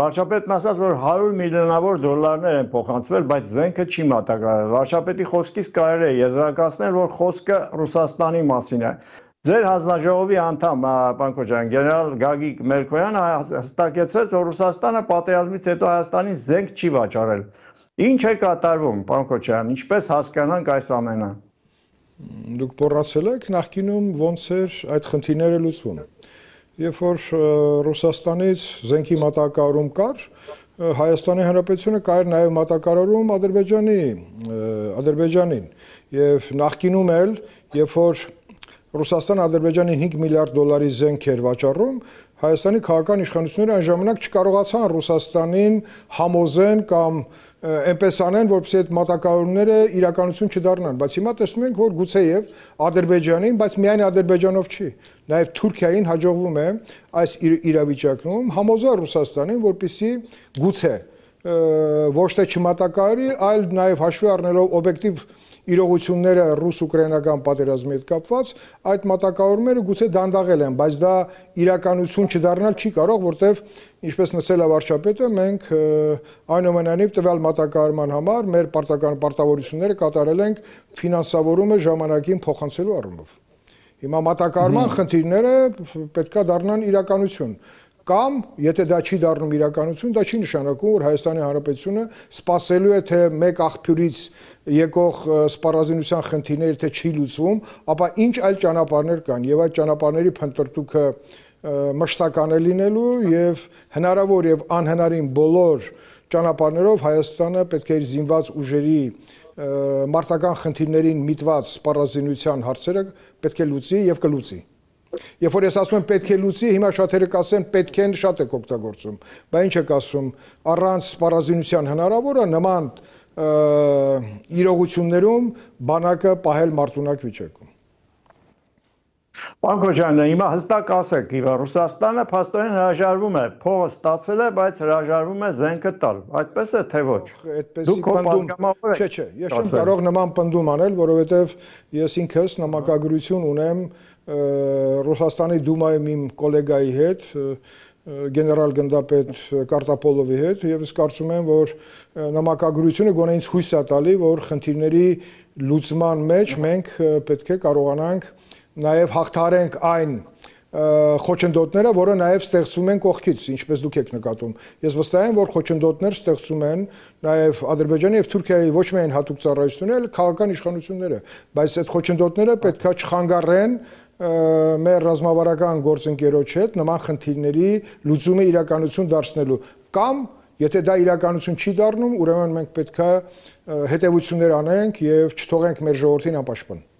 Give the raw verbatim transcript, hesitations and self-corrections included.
Վարչապետն ասաց, որ հարյուր միլիոնավոր դոլարներ են փոխանցվել, բայց զենքը չի մատակարարվել։ Վարչապետի խոսքից կարելի է եզրակացնել, որ խոսքը Ռուսաստանի մասին է։ Ձեր հանձնաժողովի անդամ, պարոն Քոչարյան, գեներալ Գագիկ Մերկոյանը հստակեցրեց, որ Ռուսաստանը պատերազմից հետո Հայաստանին զենք չի վաճառել։ Ինչ է կատարվում, պարոն Քոչարյան, ինչպես հասկանանք այս ամենը։ Դուք մոռացել եք նախկինում ոնց էր այդ խնդիրները լուծվում։ Երբ որ Ռուսաստանից զենքի մատակարարում կար, Հայաստանի Հանրապետությունը կար նաև մատակարարում Ադրբեջանի, Ադրբեջանին։ Եվ նախկինում էլ, երբ որ Ռուսաստանը Ադրբեջանին հինգ միլիարդ դոլարի զենք էր վաճառում, Հայաստանի քաղաքական իշխանությունները այն ժամանակ չկարողացան Ռուսաստանին համոզեն կամ այնպես անեն, որպեսզի այդ մատակարարումները իրականություն չդառնան, բայց հիմա տեսնում ենք, որ գուցեև Ադրբեջանին, բայց միայն Ադրբեջանով չի, նաև Թուրքիային հաջողվում է այս իրավիճակում համոզել Ռուսաստանին, որպեսզի գուցե ոչ թե չմատակարարի, այլ նաև հաշվի առնելով օբյեկտիվ իրողությունները ռուս-ուկրաինական պատերազմի հետ կապված, այդ մատակարարումները գուցե դանդաղել են, բայց դա իրականություն չդառնալ չի կարող, որտեղ ինչպես նշել է վարչապետը, մենք այնուամենայնիվ տվյալ մատակարարման համար մեր պարտական պարտավորությունները կատարել ենք ֆինանսավորումը ժամանակին փոխանցելու առումով։ Հիմա մատակարարման խնդիրները պետք է դառնան իրականություն։ Կամ, եթե դա չի դառնում իրականություն, դա չի նշանակում, որ Հայաստանի Հանրապետությունը սպասելու է, թե մեկ աղբյուրից եկող սպառազինության խնդիրները թե չի լուծվում, ապա ինչ այլ ճանապարհներ կան, եւ այդ ճանապարհների փնտրտուքը մշտական է լինելու եւ հնարավոր եւ անհնարին բոլոր ճանապարհներով Հայաստանը պետք է իր զինված ուժերի մարտական խնդիրներին միտված սպառազինության հարցերը պետք է լուծի եւ կլուծի։ Երբ որ ես ասում եմ պետք է լուծի, հիմա շատերը կասեն պետք են շատ եք օգտագործում, բայց ինչ եք ասում, առանց սպառազինության հնարավոր է նման իրողություններում բանակը պահել մարտունակ վիճակում։ Պարոն Քոչարյան, հիմա հստակ ասեք, Ռուսաստանը փաստորեն հրաժարվում է, փողը ստացել է, բայց հրաժարվում է զենքը տալ, այդպես է թե ոչ։ Այդպեսի պնդում, չէ, չէ, ես չեմ կարող նման պնդում անել, որովհետև ես ինքս նամակագրություն ունեմ Ռուսաստանի Դումայում իմ գոլեգայի հետ, գեներալ գնդապետ Կարտապոլովի հետ, եւ ես կարծում եմ, որ նամակագրությունը գոնե ինձ հույս է տալի, որ խնդիրների լուծման մեջ մենք պետք է կարողանանք նաև հաղթարենք այն խոչընդոտները, որը նաև ստեղծում են կողքից, ինչպես դուք եք նկատում։ Ես վստահ եմ, որ խոչընդոտներ ստեղծում են նաև Ադրբեջանի եւ Թուրքիայի ոչ միայն հատուկ ծառայությունները, այլ քաղաքական իշխանությունները, բայց այդ խոչընդոտները պետքա չխանգարեն մեր ռազմավարական գործընկերոջ հետ նման խնդիրների լուծումը իրականություն դարձնելու կամ եթե դա իրականություն չի դառնում, ուրեմն մենք պետքա հետևություններ անենք եւ չթողենք մեր ժողովրդին անպաշտպան։